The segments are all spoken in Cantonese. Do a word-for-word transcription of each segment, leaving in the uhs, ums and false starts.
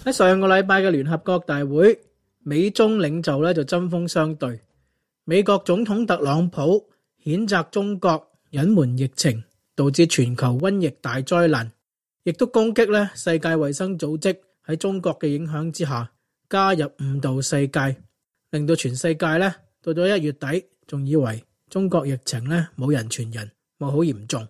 喺上個禮拜嘅聯合國大會，美中領袖咧就針鋒相對。美國總統特朗普譴責中國隱瞞疫情，導致全球瘟疫大災難，亦都攻擊咧世界衛生組織喺中國嘅影響之下加入誤導世界，令到全世界咧到咗一月底仲以為中國疫情咧冇人傳人，冇好嚴重。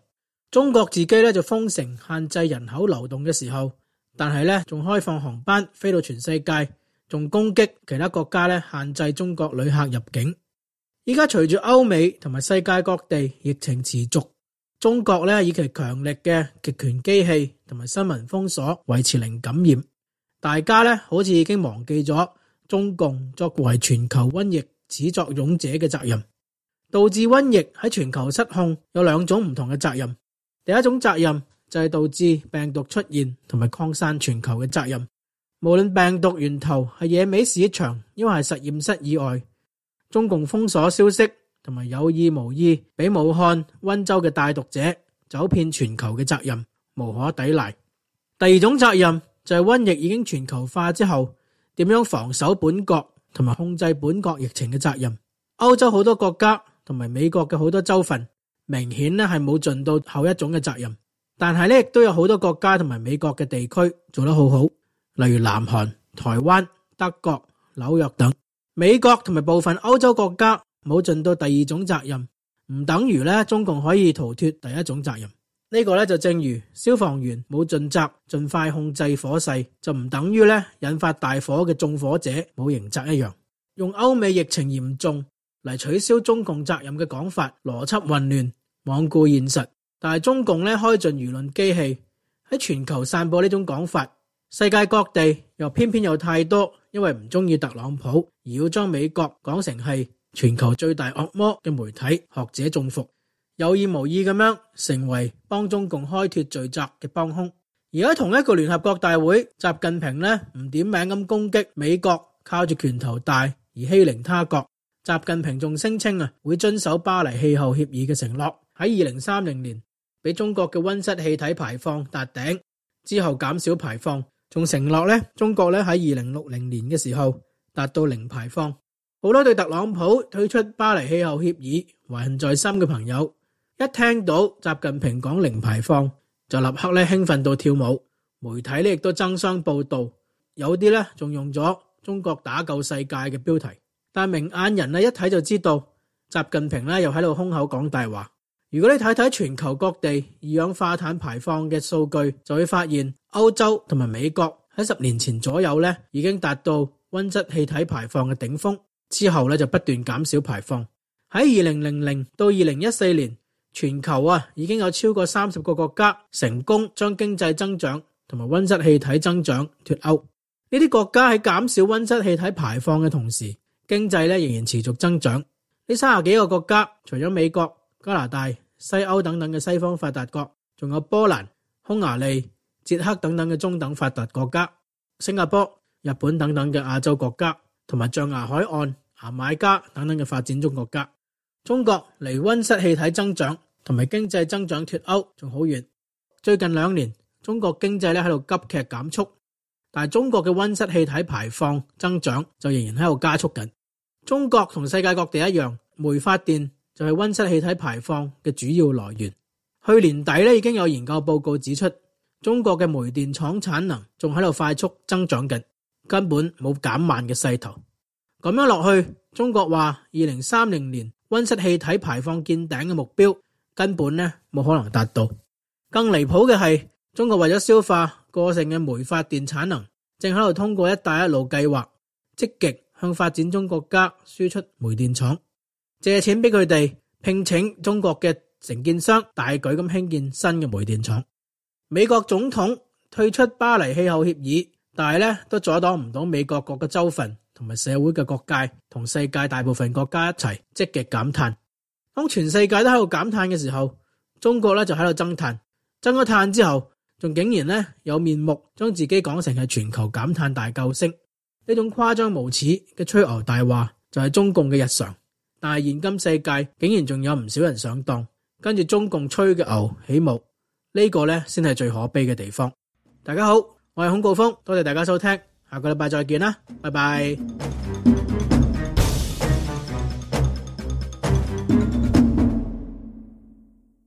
中國自己咧就封城限制人口流動嘅時候，但係咧仲開放航班飛到全世界，仲攻擊其他國家咧限制中國旅客入境。依家隨住歐美同埋世界各地疫情持續，中國咧以其強力嘅極權機器同埋新聞封鎖維持零感染，大家咧好似已經忘記咗中共作為全球瘟疫始作俑者嘅責任。導致瘟疫喺全球失控有兩種唔同嘅責任，第一種責任就係導致病毒出現同埋擴散全球嘅責任。無論病毒源頭係野味市場，因為係實驗室以外，中共封鎖消息同埋有意無意俾武漢、溫州嘅帶毒者走遍全球嘅責任，無可抵賴。第二種責任就係瘟疫已經全球化之後，點樣防守本國同埋控制本國疫情嘅責任。歐洲好多國家同埋美國嘅好多州份，明顯咧係冇盡到後一種嘅責任，但係咧亦都有好多國家同埋美國嘅地區做得好好，例如南韓、台灣、德國、紐約等。美國同埋部分歐洲國家冇盡到第二種責任，唔等於咧中共可以逃脫第一種責任。呢個咧就正如消防員冇盡責盡快控制火勢，就唔等於咧引發大火嘅縱火者冇刑責一樣。用歐美疫情嚴重嚟取消中共責任嘅講法，邏輯混亂，罔顧現實。但係中共咧開盡輿論機器喺全球散播呢種講法，世界各地又偏偏有太多因為唔中意特朗普而要將美國講成係全球最大惡魔嘅媒體學者中伏，有意無意咁樣成為幫中共開脫罪責嘅幫兇。而喺同一個聯合國大會，習近平咧唔點名咁攻擊美國靠住拳頭大而欺凌他國。習近平仲聲稱啊，會遵守巴黎氣候協議嘅承諾，喺二零三零年俾中國嘅溫室氣體排放達頂之後減少排放，仲承諾咧中國咧喺二零六零年嘅時候達到零排放。好多對特朗普退出巴黎氣候協議懷恨在心嘅朋友，一聽到習近平講零排放，就立刻咧興奮到跳舞。媒體咧亦都爭相報道，有啲咧仲用咗中國打救世界嘅標題。但明眼人咧一睇就知道，習近平咧又喺度空口講大話。如果你睇睇全球各地二氧化碳排放嘅數據，就會發現歐洲同埋美國喺十年前左右咧已經達到溫室氣體排放嘅頂峰，之後咧就不斷減少排放。喺二零零零到二零一四年，全球啊已經有超過三十個國家成功將經濟增長同埋溫室氣體增長脫鈎。呢啲國家喺減少溫室氣體排放嘅同時，經濟咧仍然持續增長。呢三十幾個國家，除咗美國、加拿大、西歐等等嘅西方發達國，仲有波蘭、匈牙利、捷克等等嘅中等發達國家，新加坡、日本等等嘅亞洲國家，同埋象牙海岸、牙買加等等嘅發展中國家。中國離溫室氣體增長同埋經濟增長脫鈎仲好遠。最近兩年，中國經濟咧喺度急劇減速，但係中國嘅溫室氣體排放增長就仍然喺度加速緊。中國同世界各地一樣，煤發電就係溫室氣體排放嘅主要來源。去年底咧已經有研究報告指出，中國嘅煤電廠產能仲喺度快速增長緊，根本冇減慢嘅勢頭。咁樣落去，中國話二零三零年溫室氣體排放見頂嘅目標根本咧冇可能達到。更離譜嘅係，中國為咗消化過剩嘅煤發電產能，正喺度通過一帶一路計劃積極向發展中國家輸出煤電廠，借錢俾佢哋聘請中國嘅承建商，大舉咁興建新嘅煤電廠。美國總統退出巴黎氣候協議，但係咧都阻擋唔到美國各個州份同埋社會嘅各界同世界大部分國家一齊積極減碳。當全世界都喺度減碳嘅時候，中國咧就喺度增碳，增咗碳之後，仲竟然咧有面目將自己講成係全球減碳大救星。呢種誇張無恥嘅吹牛大話就係中共嘅日常，但係現今世界竟然仲有唔少人上當，跟住中共吹嘅牛起舞，呢個咧先係最可悲嘅地方。大家好，我係孔誥烽，多謝大家收聽，下個禮拜再見啦，拜拜。